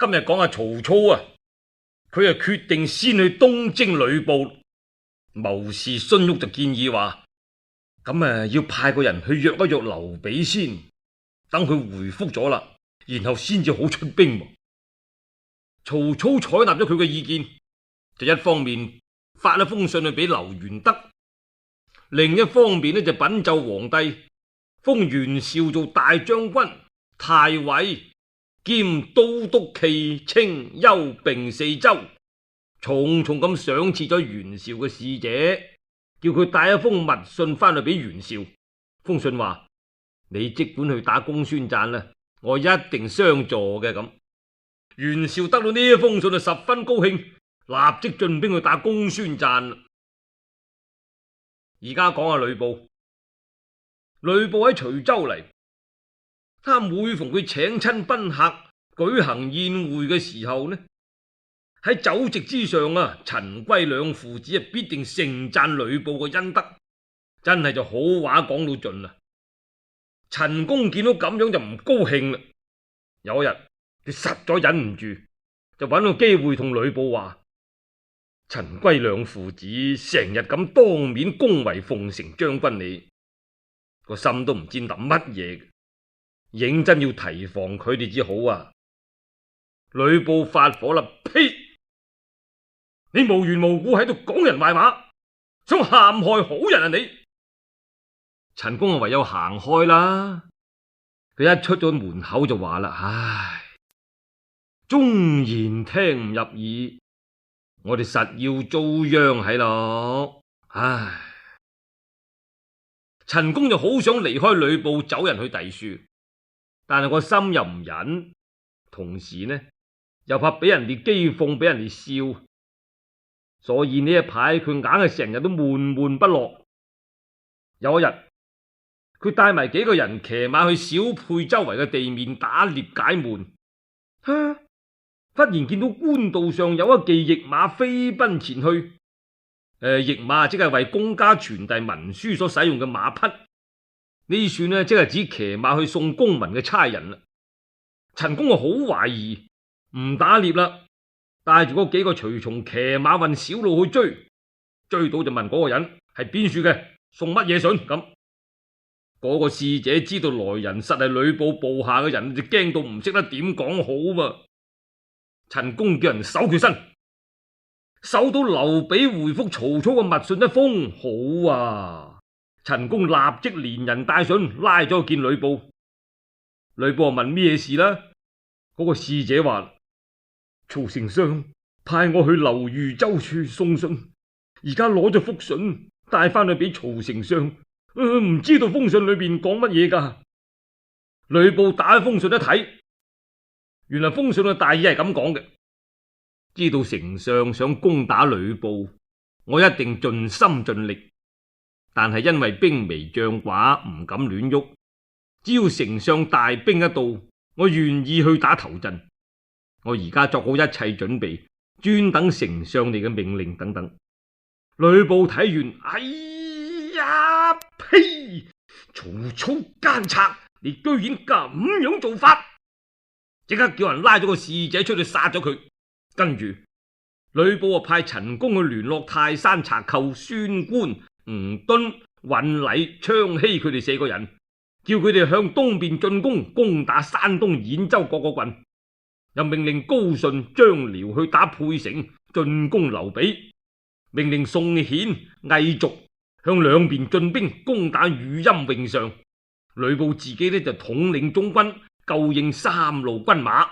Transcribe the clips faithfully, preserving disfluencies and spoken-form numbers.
今日講下曹操啊，佢啊決定先去東征呂布。謀士荀彧就建議話，咁啊要派個人去約一約劉備先，等佢回覆咗啦，然後先至好出兵。曹操採納咗佢嘅意見，就一方面發一封信去俾劉元德，另一方面呢就稟奏皇帝，封袁紹做大將軍、太尉兼都督冀青幽并四州，重重咁賞賜咗袁紹嘅使者，叫佢帶一封密信翻去俾袁紹。封信話：你即管去打公孫瓚啦，我一定相助嘅。咁袁紹得到呢一封信就十分高興，立即進兵去打公孫瓚。而家講下呂布，呂布喺徐州嚟，他每逢佢請親賓客舉行宴會嘅時候呢，喺酒席之上啊，陳歸兩父子啊必定盛讚呂布嘅恩德，真係就好話講到盡啦。陳宮見到咁樣就唔高興啦，有一日佢實在忍唔住，就揾個機會同呂布話：陳歸兩父子成日咁當面恭維奉承將軍你，個心都唔知諗乜嘢，認真要提防佢哋至好啊！呂布發火啦，呸！你無緣無故喺度講人壞話，想陷害好人啊你！陳宮啊唯有行開啦。佢一出咗門口就話啦：唉，忠言聽唔入耳，我哋實要遭殃喺咯。唉，陳宮就好想離開呂布走人去第處，但係個心又唔忍，同時呢又怕俾人哋譏諷，俾人哋笑，所以呢一排佢硬係成日都悶悶不樂。有一日，佢帶埋幾個人騎馬去小沛周圍嘅地面打獵解悶，哈！忽然見到官道上有一騎驛馬飛奔前去。誒、呃，驛馬即係為公家傳遞文書所使用嘅馬匹，呢算呢即係指騎馬去送公文嘅差人啦。陳宮啊好懷疑，唔打獵啦，帶住嗰幾個隨從騎馬運小路去追，追到就問嗰個人係邊處嘅，送乜嘢信咁。嗰個使者知道來人實係呂布部下嘅人，就驚到唔識得點講好噃。陳宮叫人搜佢身，搜到劉備回覆曹操嘅密信一封，好啊！陳宮立即連人帶信拉咗去見呂布。呂布問咩事啦？嗰、那個使者話：曹丞相派我去劉豫州處送信，而家攞咗封信帶翻去俾曹丞相。唔、呃、知道封信裏邊講乜嘢噶？呂布打開封信一睇，原來封信嘅大意係咁講嘅：知道丞相想攻打呂布，我一定盡心盡力，但係因為兵微將寡，唔敢亂喐。只要丞相大兵一到，我願意去打頭陣。我而家作好一切準備，專等丞相你嘅命令等等。呂布睇完，哎呀！呸！曹操奸賊，你居然咁樣做法！即刻叫人拉咗個使者出去殺咗佢。跟住呂布啊派陳宮去聯絡泰山賊寇孫觀、吳敦、尹禮、昌熙佢哋四個人，叫佢哋向東邊進攻，攻打山東兗州各個郡。又命令高順、張遼去打沛城，進攻劉備。命令宋顯、魏續向兩邊進兵，攻打汝陰詠上。呂布自己呢就統領中軍，救應三路軍馬。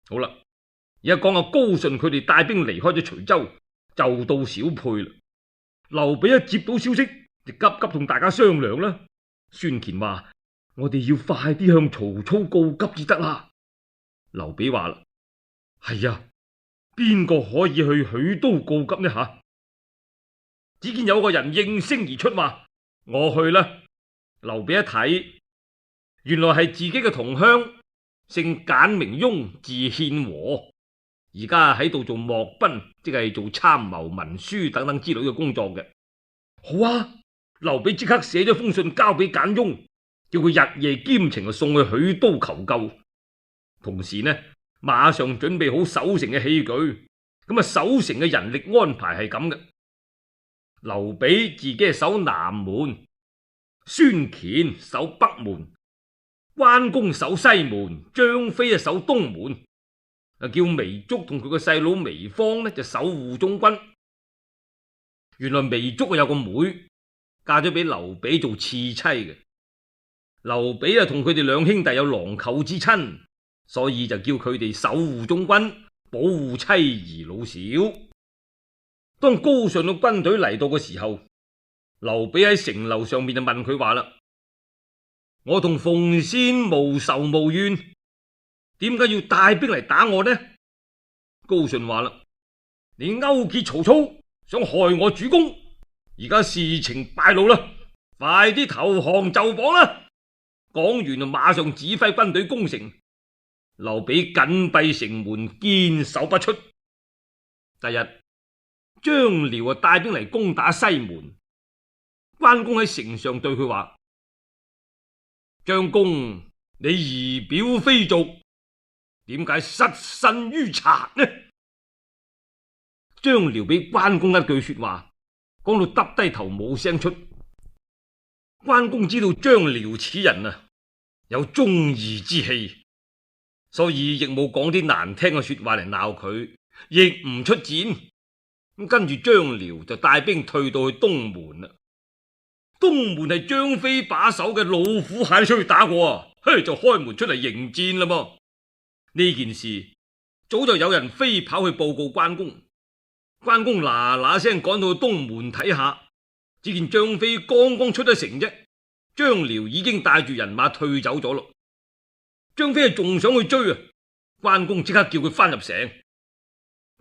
好啦，而家講下高順佢哋帶兵離開咗徐州，就到小沛啦。劉備一接到消息，就急急同大家商量啦。孫乾話：我哋要快啲向曹操告急至得啦。劉備話啦：係啊，邊個可以去許都告急呢吓？只見有個人應聲而出，話：我去啦。劉備一睇，原來係自己嘅同鄉，姓簡名雍，字獻和，而家喺度做幕賓，即係做參謀文書等等之類嘅工作嘅。好啊，劉備即刻寫咗封信交俾簡雍，叫佢日夜兼程送去許都求救。同時呢，馬上準備好守城嘅器具。咁啊，守城嘅人力安排係咁嘅：劉備自己係守南門，孫乾守北門，關公守西門，張飛啊守東門，啊叫糜竺同佢個細佬糜芳呢就守護中軍。原來糜竺有個妹嫁咗俾劉備做次妻嘅，劉備啊同佢哋兩兄弟有郎舅之親，所以就叫佢哋守護中軍，保護妻兒老小。當高順嘅軍隊嚟到嘅時候，劉備喺城樓上面就問佢話啦：我同奉先無仇無怨，點解要帶兵嚟打我呢？高順話啦：你勾結曹操，想害我主公，而家事情敗露啦，快啲投降就綁啦！講完就馬上指揮軍隊攻城。劉備緊閉城門，堅守不出。第日張遼啊帶兵嚟攻打西門，關公喺城上對佢話：張公，你儀表非俗，點解失身於賊呢？張遼俾關公一句說話講到耷低頭冇聲出。關公知道張遼此人啊有忠義之氣，所以亦冇講啲難聽嘅說話嚟鬧佢，亦唔出戰。咁跟住張遼就帶兵退到去東門啦。東門係張飛把守嘅，老虎蟹出去打過啊，嘿就開門出嚟迎戰啦噃。呢件事早就有人飛跑去報告關公，關公嗱嗱聲趕到去東門睇下，只見張飛剛剛出咗城啫，張遼已經帶住人馬退走咗咯。張飛仲想去追啊，關公即刻叫佢翻入城。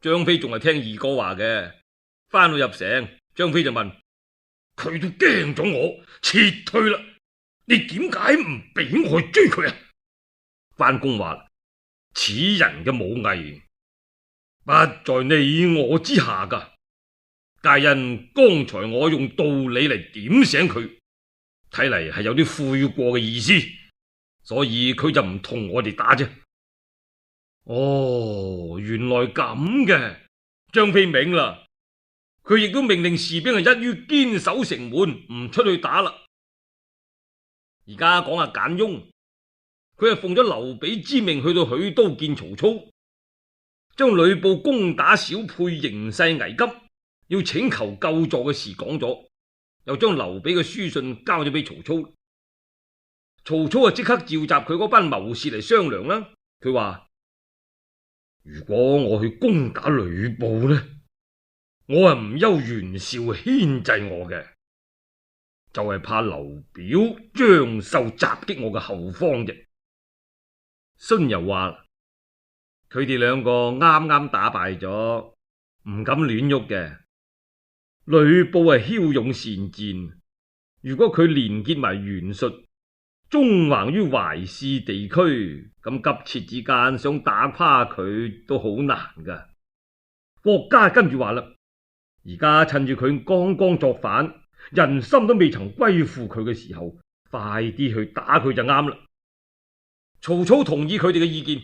張飛仲係聽二哥話嘅，翻到入城，張飛就問佢：都驚咗我撤退啦，你點解唔俾我去追佢啊？關公話：此人嘅武藝不在你我之下噶，皆因剛才我用道理嚟點醒佢，睇嚟係有啲悔過嘅意思，所以佢就唔同我哋打啫。哦，原來咁嘅，張飛明啦，佢亦都命令士兵係一於堅守城門，唔出去打啦。而家講下簡雍，佢係奉咗劉備之命去到許都見曹操，將呂布攻打小沛形勢危急，要請求救助嘅事講咗，又將劉備嘅書信交咗俾曹操。曹操啊即刻召集佢嗰班謀士嚟商量啦。佢話：如果我去攻打呂布呢，我係唔憂袁紹牽制我嘅，就係怕劉表、張繡襲擊我嘅後方啫。荀攸話：佢哋兩個啱啱打敗咗，唔敢亂喐嘅。呂布係驍勇善戰，如果佢連結埋袁術，縱橫於淮泗地區，咁急切之間想打垮佢都好難噶。郭嘉跟住話啦：而家趁住佢剛剛作反，人心都未曾歸附佢嘅時候，快啲去打佢就啱啦。曹操同意佢哋嘅意見，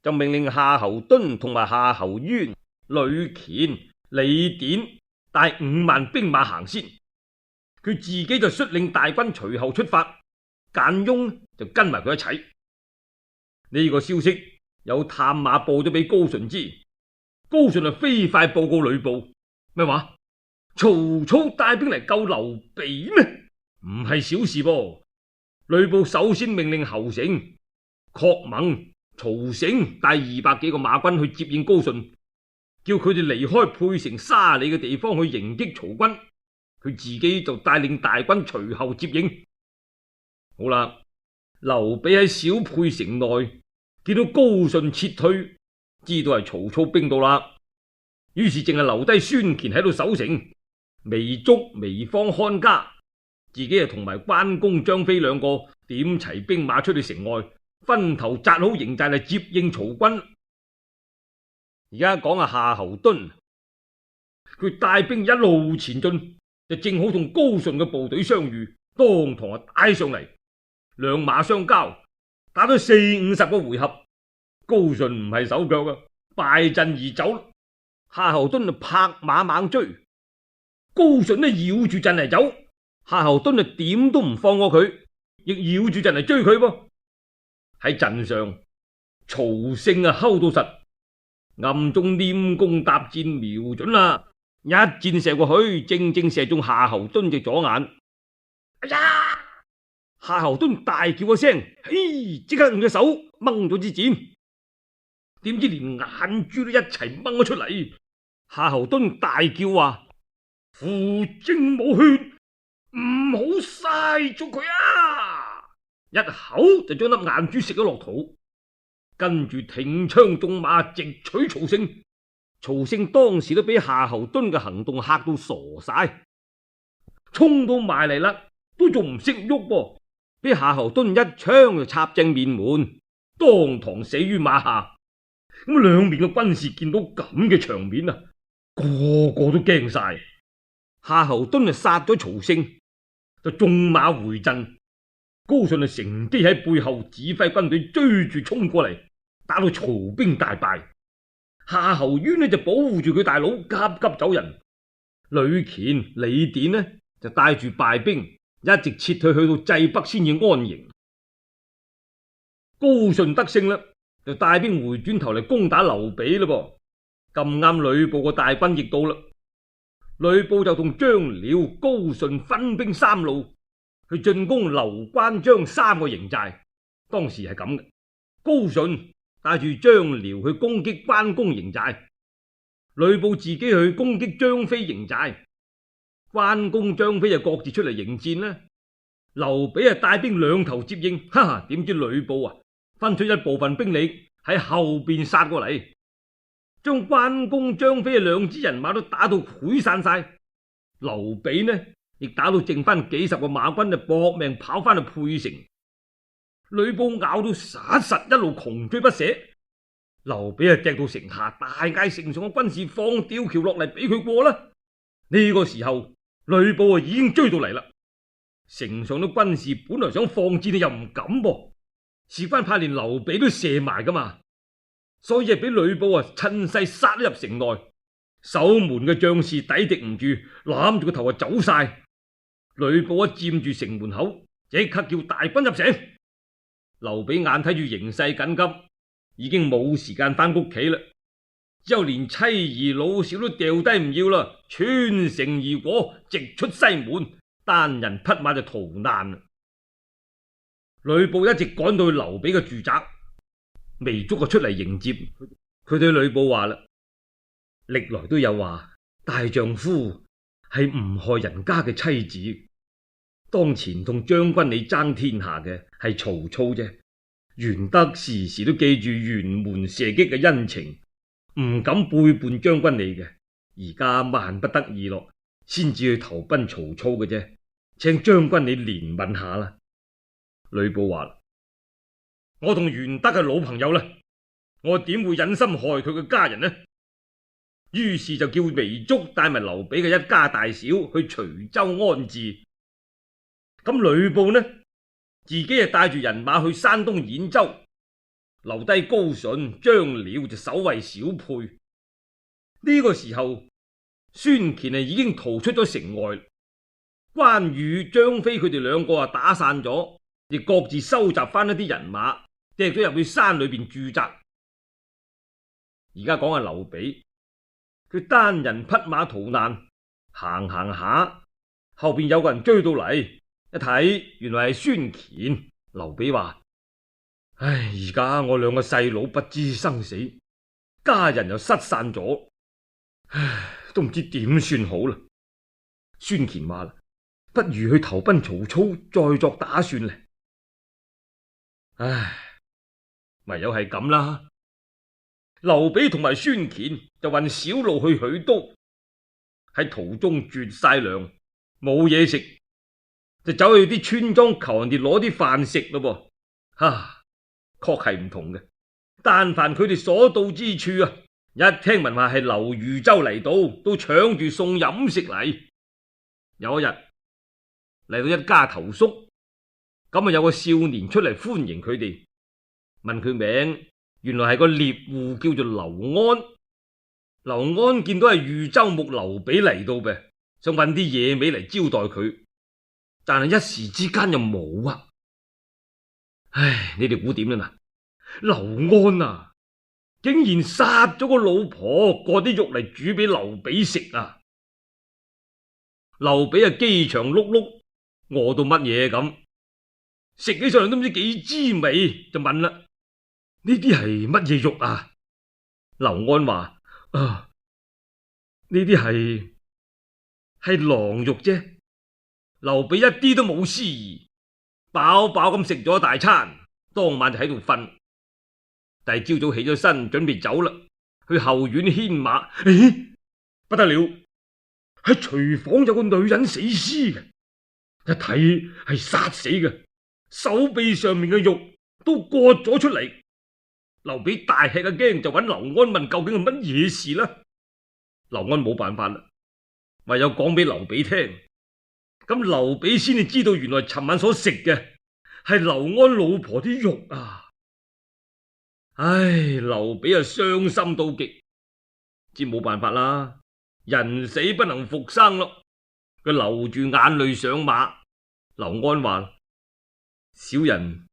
就命令夏侯惇同埋夏侯淵、呂虔、李典帶五萬兵馬行先，佢自己就率領大軍隨後出發。簡雍就跟埋佢一齊。呢、這個消息有探馬報咗俾高順知，高順就飛快報告呂布：咩話？曹操帶兵嚟救劉備咩？唔係小事噃。呂布首先命令侯成、郝萌、曹繩帶二百幾個馬軍去接應高順，叫佢哋離開沛城沙里嘅地方去迎擊曹軍，佢自己就帶領大軍隨後接應。好啦，劉備喺小沛城內見到高順撤退，知道係曹操兵到啦，於是淨係留低孫乾喺度守城，糜竺、糜芳看家，自己啊同埋關公、張飛兩個點齊兵馬出去城外，分頭紮好營寨嚟接應曹軍。而家講下夏侯惇，佢帶兵一路前進，就正好同高順嘅部隊相遇，當堂啊打上嚟。兩馬相交，打咗四五十個回合，高高順唔係手腳啊，敗陣而走。夏侯惇就拍馬猛追，高順呢繞住陣嚟走，夏侯惇就點都唔放過佢，亦繞住陣嚟追佢噃。喺陣上，曹勝啊睺到實，暗中拈弓搭箭，瞄準啦，一箭射過去，正正射中夏侯惇隻左眼。哎呀！夏侯惇大叫一聲，嘿，即刻用隻手掹咗支箭，點知連眼珠都一齊掹咗出嚟。夏侯惇大叫話：父精冇血，唔好嘥咗佢啊！一口就將粒眼珠食咗落肚，跟住挺槍縱馬直取曹勝。曹勝當時都俾夏侯惇嘅行動嚇到傻晒，衝到埋嚟啦，都仲唔識喐噃，俾夏侯惇一槍就插正面門，當堂死於馬下。咁兩邊嘅軍士見到咁嘅場面啊，個個都驚晒。夏侯惇就殺咗曹勝，就縱馬回陣。高順就乘機喺背後指揮軍隊追住衝過嚟，打到曹兵大敗。夏侯淵呢就保護住佢大佬，急急走人。呂虔、李典呢就帶住敗兵一直撤退去到濟北先至安營。高順得勝啦，就帶兵回轉頭嚟攻打劉備啦噃。咁啱呂布個大軍亦到啦，呂布就同張遼、高順分兵三路去進攻劉關張三個營寨。當時係咁嘅，高順帶住張遼去攻擊關公營寨，呂布自己去攻擊張飛營寨。關公、張飛就各自出嚟迎戰啦。劉備啊帶兵兩頭接應，哈哈！點知呂布啊分出一部分兵力喺後邊殺過嚟，將關公、張飛嘅兩支人馬都打到潰散晒。劉備呢亦打到剩翻幾十個馬軍就搏命跑翻去沛城。呂布咬到實實，一路窮追不捨。劉備啊趯到城下，大嗌城上嘅軍士放吊橋落嚟俾佢過啦。呢、這個時候呂布啊已經追到嚟啦。城上啲軍士本來想放箭，又唔敢噃，事關怕連劉備都射埋噶嘛，所以啊俾呂布啊趁勢殺咗入城內。守門嘅將士抵敵唔住，攬住個頭啊走晒。呂布一佔住城門口，即刻叫大軍入城。劉備眼睇住形勢緊急，已經冇時間翻屋企啦，之後連妻兒老少都掉低唔要啦，穿城而過，直出西門，單人匹馬就逃難。呂布一直趕到去劉備嘅住宅，糜竺就出嚟迎接佢。對呂布話啦：歷來都有話大丈夫係唔害人家嘅妻子，當前同將軍你爭天下嘅係曹操啫。玄德時時都記住轅門射擊嘅恩情，唔敢背叛將軍你嘅。而家萬不得已咯，先至去投奔曹操嘅啫，請將軍你憐憫下啦。呂布話：我同玄德係老朋友啦，我點會忍心害佢嘅家人呢？於是就叫糜竺帶埋劉備嘅一家大小去徐州安置。咁呂布呢，自己係帶住人馬去山東兗州，留低高順、張遼就守衛小沛。呢、這個時候，孫乾啊已經逃出咗城外，關羽、張飛佢哋兩個啊打散咗，亦各自收集翻一啲人馬，掟咗入去山裏邊駐紮。而家講下劉備，佢單人匹馬逃難，行行下，後邊有個人追到嚟，一睇原來係孫乾。劉備話：唉，而家我兩個細佬不知生死，家人又失散咗，唉，都唔知點算好啦。孫乾話啦：不如去投奔曹操，再作打算咧。唉，唯有係咁啦。劉備同埋孫乾就運小路去許都，喺途中絕晒糧，冇嘢食，就走去啲村莊求人哋攞啲飯食咯噃。哈，確係唔同嘅。但凡佢哋所到之處啊，一聽聞話係劉豫州嚟到，都搶住送飲食嚟。有一日嚟到一家投宿，咁啊有個少年出嚟歡迎佢哋，問佢名，原來係個獵戶叫做劉安。劉安見到係豫州牧劉備嚟到嘅，想搵啲野味嚟招待佢，但係一時之間又冇啊！唉，你哋估點啦？嗱，劉安啊，竟然殺咗個老婆，割啲肉嚟煮俾劉備食啊！劉備啊，飢腸轆轆，餓到乜嘢咁，食起上嚟都唔知幾滋味，就問啦：呢啲係乜嘢肉啊？劉安話：啊，呢啲係係狼肉啫。劉備一啲都冇思疑，飽飽咁食咗一大餐，當晚就喺度瞓。第二朝早起咗身，準備走啦，去後院牽馬。咦，不得了！喺廚房有個女人死屍嘅，一睇係殺死嘅，手臂上面嘅肉都割咗出嚟。劉備大吃一驚，就揾劉安問究竟係乜嘢事啦。劉安冇辦法啦，唯有講俾劉備聽。咁劉備先至知道，原來尋晚所食嘅係劉安老婆啲肉啊！唉，劉備啊，傷心到極，知冇辦法啦，人死不能復生咯。佢流住眼淚上馬。劉安話：小人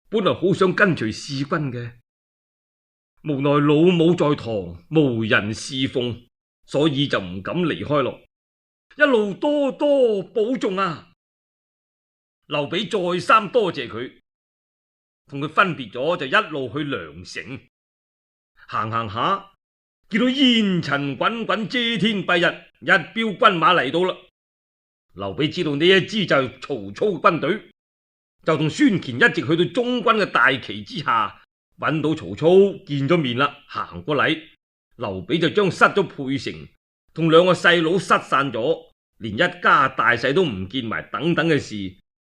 本來好想跟隨使君嘅，無奈老母在堂，無人侍奉，所以就唔敢離開咯。一路多多保重啊！劉備再三多謝佢，同佢分別咗，就一路去梁城。行行下，見到煙塵滾滾，遮天蔽日，一彪軍馬嚟到啦。劉備知道呢一支就係曹操嘅軍隊，就同孫乾一直去到中軍嘅大旗之下，揾到曹操，見咗面啦，行過禮。劉備就將失咗沛城同兩個細佬失散咗，連一家大細都唔見埋等等嘅事，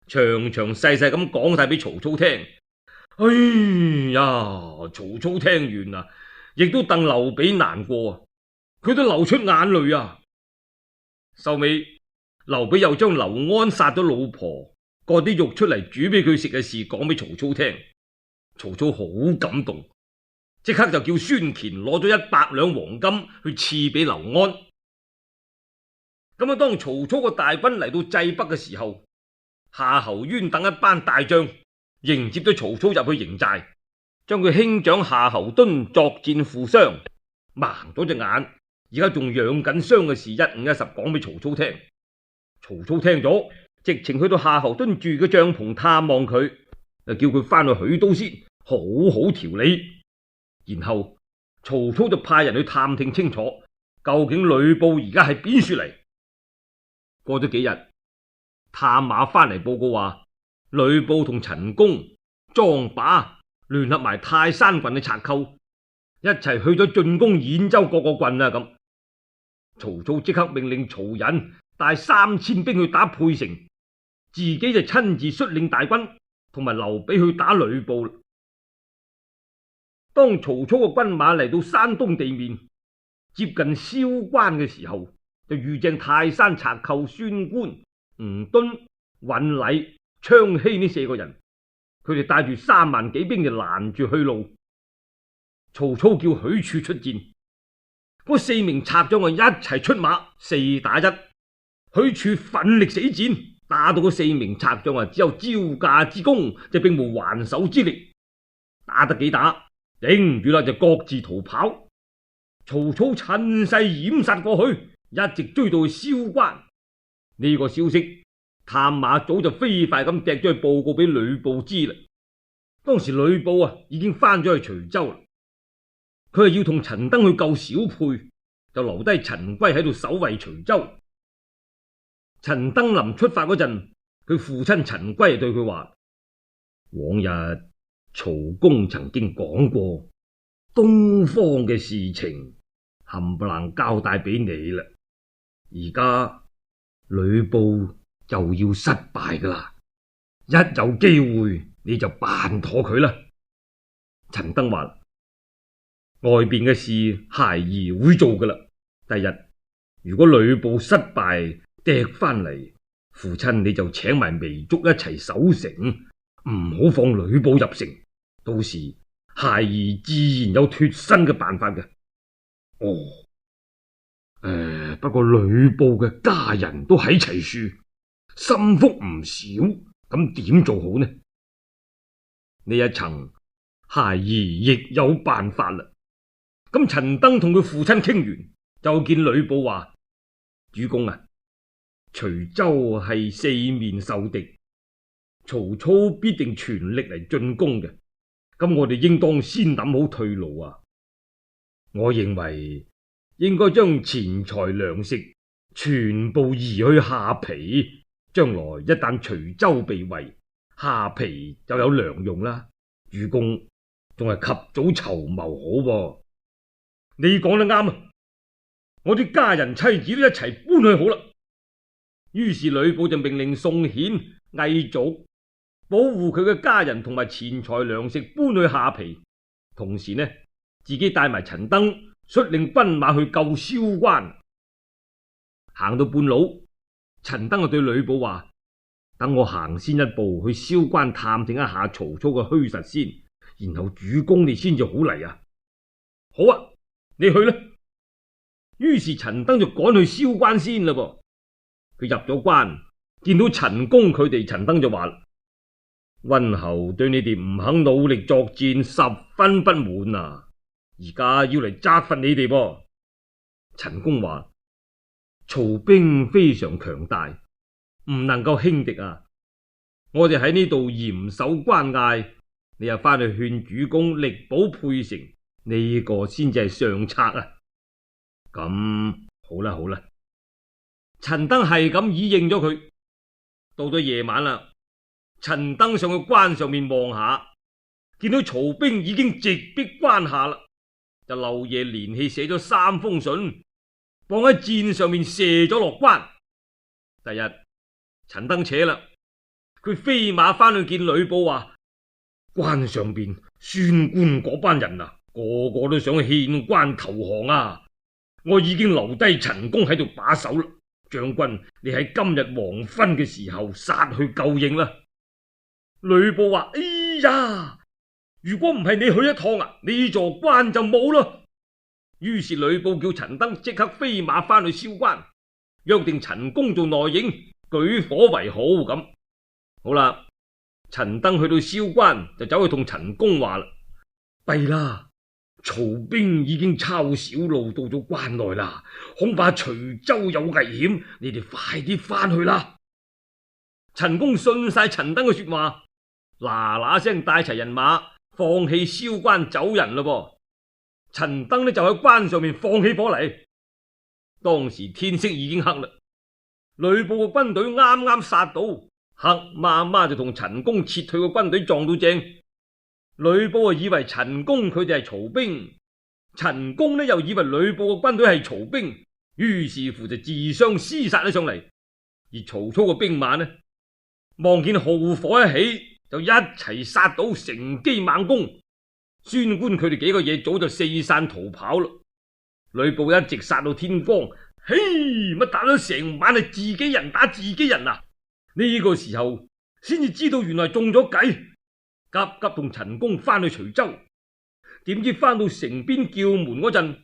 詳詳細細咁講晒俾曹操聽。哎呀，曹操聽完啊，亦都戥劉備難過，佢都流出眼淚啊。收尾劉備又將劉安殺咗老婆，割啲肉出嚟煮俾佢食嘅事講俾曹操聽。曹操好感動，即刻就叫孫乾攞咗一百兩黃金去賜俾劉安。咁啊，當曹操個大軍嚟到濟北嘅時候，夏侯淵等一班大將迎接咗曹操入去營寨，將佢兄長夏侯惇作戰負傷，盲咗隻眼，而家仲養緊傷嘅事一五一十講俾曹操聽。曹操聽咗，直情去到夏侯惇住嘅帳篷探望佢，就叫佢翻去許都先好好調理。然後曹操就派人去探聽清楚，究竟呂布而家喺邊處嚟。過咗幾日，探馬翻嚟報告話，呂布同陳宮、莊霸聯合埋泰山郡嘅賊寇，一齊去咗進攻兗州各個郡啊！咁曹操即刻命令曹仁帶三千兵去打沛城，自己就親自率領大軍同埋劉備去打呂布。當曹操嘅軍馬嚟到山東地面，接近蕭關嘅時候，就遇正泰山賊寇孫觀、吳敦、尹禮、昌熙呢四個人，佢哋帶住三萬幾兵就攔住去路。曹操叫許褚出戰，嗰四名賊將啊一齊出馬，四打一。許褚奮力死戰，打到嗰四名賊將啊只有招架之功，就並無還手之力。打得幾打，頂唔住啦，就各自逃跑。曹操趁勢掩殺過去，一直追到去蕭關。呢、這個消息探馬早就飛快咁掟咗去報告俾呂布知啦。當時呂布啊已經翻咗去徐州啦，佢係要同陳登去救小沛，就留低陳規喺度守衛徐州。陳登臨出發嗰陣，佢父親陳規對佢話：往日曹公曾經講過，東方嘅事情冚唪唥交代俾你啦。而家呂布就要失敗噶啦，一有機會你就辦妥佢啦。陳登話：外邊嘅事孩兒會做噶啦。第日如果呂布失敗掟翻嚟，父親你就請埋糜竺一齊守城，唔好放呂布入城。到時孩兒自然有脫身嘅辦法嘅。哦，誒、呃，不過呂布嘅家人都喺齊處，心腹唔少，咁點做好呢？呢一層孩兒亦有辦法啦。咁陳登同佢父親傾完，就見呂布話：主公啊，徐州係四面受敵，曹操必定全力嚟進攻嘅。咁我哋應當先諗好退路啊！我認為應該將錢財糧食全部移去下邳，將來一旦徐州被圍，下邳就有糧用啦。主公仲係及早籌謀好喎。你講得啱啊！我啲家人妻子都一齊搬去好啦。於是呂布就命令宋顯、魏續保護佢嘅家人同埋錢財糧食搬去下邳，同時呢，自己帶埋陳登率領軍馬去救蕭關。行到半路，陳登就對呂布話：等我行先一步去蕭關探聽一下曹操嘅虛實先，然後主公你先至好嚟啊！好啊，你去啦。於是陳登就趕去蕭關先啦噃。佢入咗關，見到陳宮佢哋，陳登就話：溫侯對你哋唔肯努力作戰十分不滿啊！而家要嚟責罰你哋噃。陳宮話：曹兵非常強大，唔能夠輕敵啊！我哋喺呢度嚴守關隘，你又翻去勸主公力保沛城，呢、這個先至係上策啊！咁好啦好啦，陳登係咁依應咗佢。到咗夜晚啦，陳登上去關上面望下，見到曹兵已經直逼關下啦，就漏夜連氣寫咗三封信，放喺箭上面射咗落關。第日陳登扯啦，佢飛馬翻去見呂布話：關上邊宣官嗰班人啊，個個都想獻關投降啊！我已經留低陳宮喺度把守啦，將軍你喺今日黃昏嘅時候殺去救應啦。呂布話：哎呀，如果唔係你去一趟啊，呢座關就冇啦。於是呂布叫陳登即刻飛馬翻去蕭關，約定陳宮做內應，舉火為號咁。好啦，陳登去到蕭關就走去同陳宮話啦：弊啦！曹兵已經抄小路到咗關內啦，恐怕徐州有危險，你哋快啲翻去啦。陳宮信晒陳登嘅說話，嗱嗱聲帶齊人馬，放棄蕭關走人咯噃。陳登呢就喺關上面放起火嚟。當時天色已經黑啦，呂布嘅軍隊啱啱殺到，黑麻麻就同陳宮撤退嘅軍隊撞到正。呂布啊以為陳宮佢哋係曹兵，陳宮呢又以為呂布嘅軍隊係曹兵，於是乎就自相廝殺咗上嚟。而曹操嘅兵馬呢，望見號火一起，就一齊殺到，乘機猛攻。宣官佢哋幾個嘢早就四散逃跑啦。呂布一直殺到天光，嘿，乜打咗成晚係自己人打自己人啊！呢、這個時候先至知道原來中咗計。急急同陳宮翻去徐州，點知翻到城邊叫門嗰陣，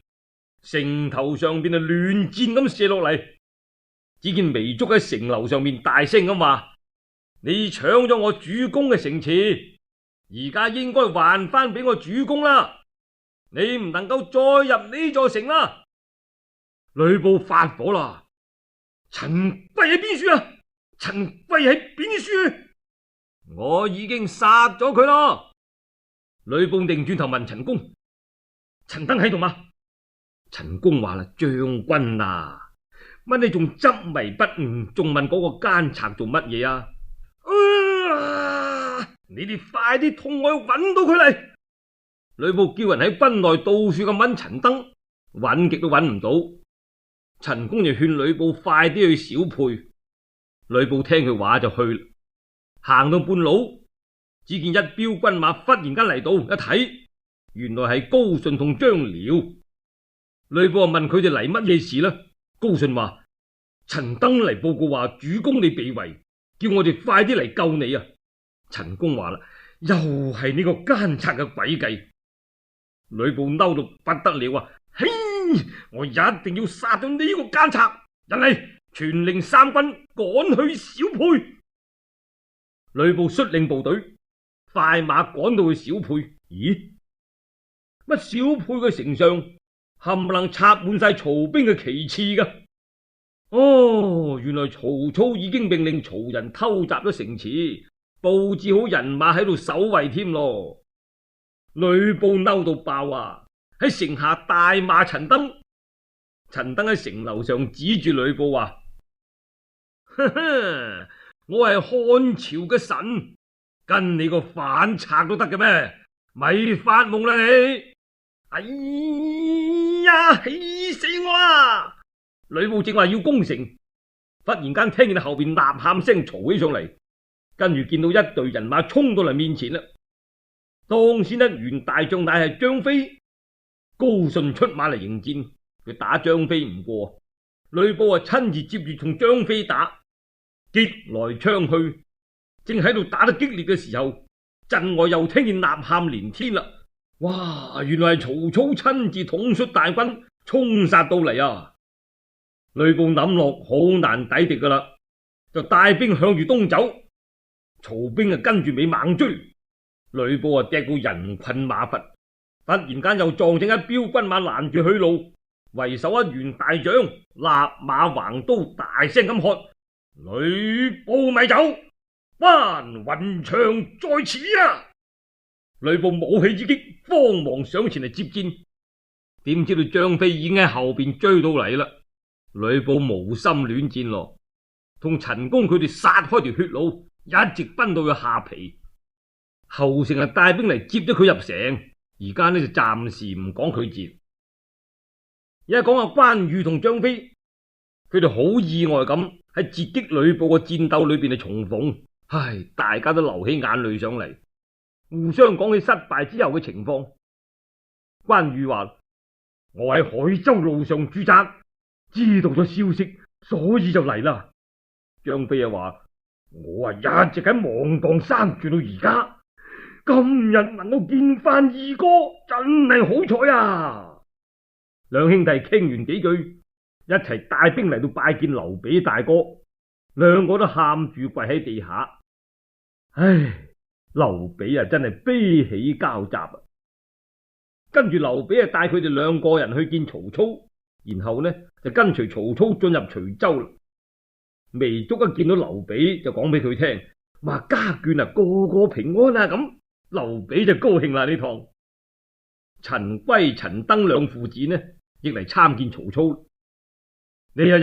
城頭上邊啊亂箭咁射落嚟。只見糜竺喺城樓上面大聲咁話：你搶咗我主公嘅城池，而家應該還翻俾我主公啦！你唔能夠再入呢座城啦！呂布發火啦：陳貴喺邊處啊？陳貴喺邊處？我已經殺咗佢咯。呂布擰轉頭問陳宮：陳登喺度嗎？陳宮話啦：將軍啊，乜你仲執迷不悟，仲問嗰個奸賊做乜嘢啊？啊！你哋快啲同我去揾到佢嚟！呂布叫人喺軍內到處咁揾陳登，揾極都揾唔到。陳宮就勸呂布快啲去小沛。呂布聽佢話就去啦。行到半路，只見一彪軍馬忽然間嚟到，一睇原來係高順同張遼。呂布問佢哋嚟乜嘢事呢？高順話：陳登嚟報告話主公你被圍，叫我哋快啲嚟救你啊！陳宮話啦：又係呢個奸賊嘅詭計，呂布嬲到不得了啊！嘿，我一定要殺咗呢個奸賊！人嚟，傳令三軍趕去小沛。呂布率領部隊快馬趕到去小沛。咦？乜小沛嘅城上冚唪唥插滿晒曹兵嘅旗幟噶？哦，原來曹操已經命令曹仁偷襲咗城池，布置好人馬喺度守衛添咯。呂布嬲到爆啊！喺城下大罵陳登。陳登喺城樓上指住呂布話：呵呵，我係漢朝嘅神，跟你個反賊都得嘅咩？咪發夢啦你！哎呀，氣死我啦！呂布正話要攻城，忽然間聽見後邊吶喊聲嘈起上嚟，跟住見到一隊人馬衝到嚟面前啦。當先一員大將乃係張飛，高順出馬嚟迎戰，佢打張飛唔過，呂布啊親自接住同張飛打，擊來槍去，正喺度打得激烈嘅時候，陣外又聽見吶喊連天啦！哇，原來係曹操親自統率大軍衝殺到嚟啊！呂布諗落好難抵敵噶啦，就帶兵向住東走，曹兵啊跟住尾猛追。呂布啊踢到人困馬乏，突然間又撞正一彪軍馬攔住去路，為首一員大將立馬橫刀大聲咁喝：呂布咪走，班雲長在此啊！呂布舞起之擊，慌忙上前嚟接戰，點知道張飛已經喺後邊追到嚟啦。呂布無心戀戰咯，同陳宮佢哋殺開條血路，一直奔到去下邳。後成係帶兵嚟接咗佢入城，而家呢就暫時唔講佢節。而家講下關羽同張飛，佢哋好意外咁喺截擊呂布嘅戰鬥裏邊係重逢，唉，大家都流起眼淚上嚟，互相講起失敗之後嘅情況。關羽話：我喺海州路上駐紮，知道咗消息，所以就嚟啦。張飛又話：我啊一直喺芒碣山住到而家。今日能夠見翻二哥，真係好彩啊！兩兄弟傾完幾句，一齊帶兵嚟到拜見劉備大哥，兩個都喊住跪喺地下。唉，劉備啊，真係悲喜交集啊！跟住劉備啊，帶佢哋兩個人去見曹操，然後呢就跟隨曹操進入徐州啦。糜竺一見到劉備就講俾佢聽，話家眷啊個個平安啊咁。劉備就高興啦呢趟。陳規、陳登兩父子呢亦嚟參見曹操。呢一日，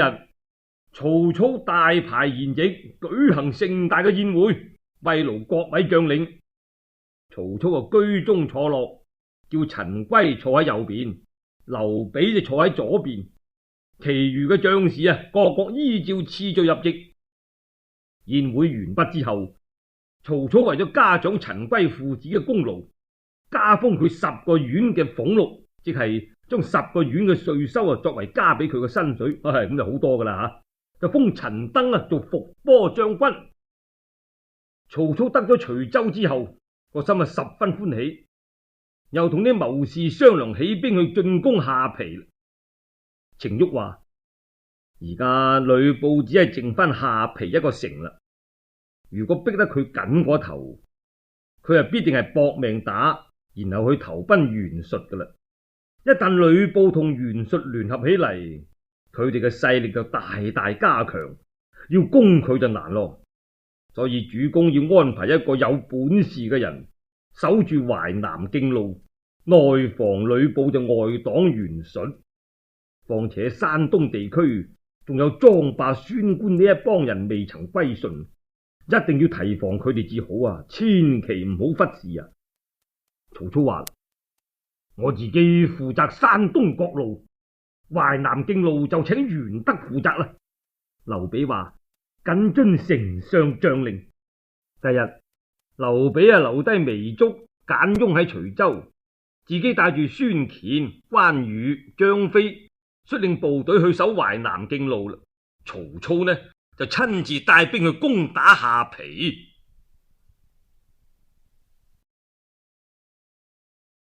曹操大排筵席，舉行盛大嘅宴會，慰勞各位將領。曹操啊居中坐落，叫陳規坐喺右邊，劉備就坐喺左邊，其餘嘅將士啊各各依照次序入席。宴會完畢之後，曹操為咗嘉獎陳規父子嘅功勞，加封佢十個縣嘅俸祿，即係將十個縣嘅稅收啊作為加俾佢嘅薪水，係咁就好多噶啦吓。就封陳登啊做伏波將軍。曹操得咗徐州之後，個心啊十分歡喜，又同啲謀士商量起兵去進攻下邳。程昱話：而家呂布只係剩翻下邳一個城啦。如果逼得佢緊過頭，佢啊必定係搏命打，然後去投奔袁術噶啦。一旦呂布同袁術聯合起嚟，佢哋嘅勢力就大大加強，要攻佢就難咯。所以主公要安排一個有本事嘅人守住淮南徑路，內防呂布就外擋袁術。況且山東地區仲有莊霸、孫觀呢一幫人未曾歸順，一定要提防佢哋至好啊！千祈唔好忽視啊！曹操話：我自己負責山東各路，淮南徑路就請袁德負責啦。劉備話：謹遵丞相將令。第日，劉備啊留低糜竺、簡雍喺徐州，自己帶住孫乾、關羽、張飛，率領部隊去守淮南徑路啦。曹操呢就親自帶兵去攻打下邳。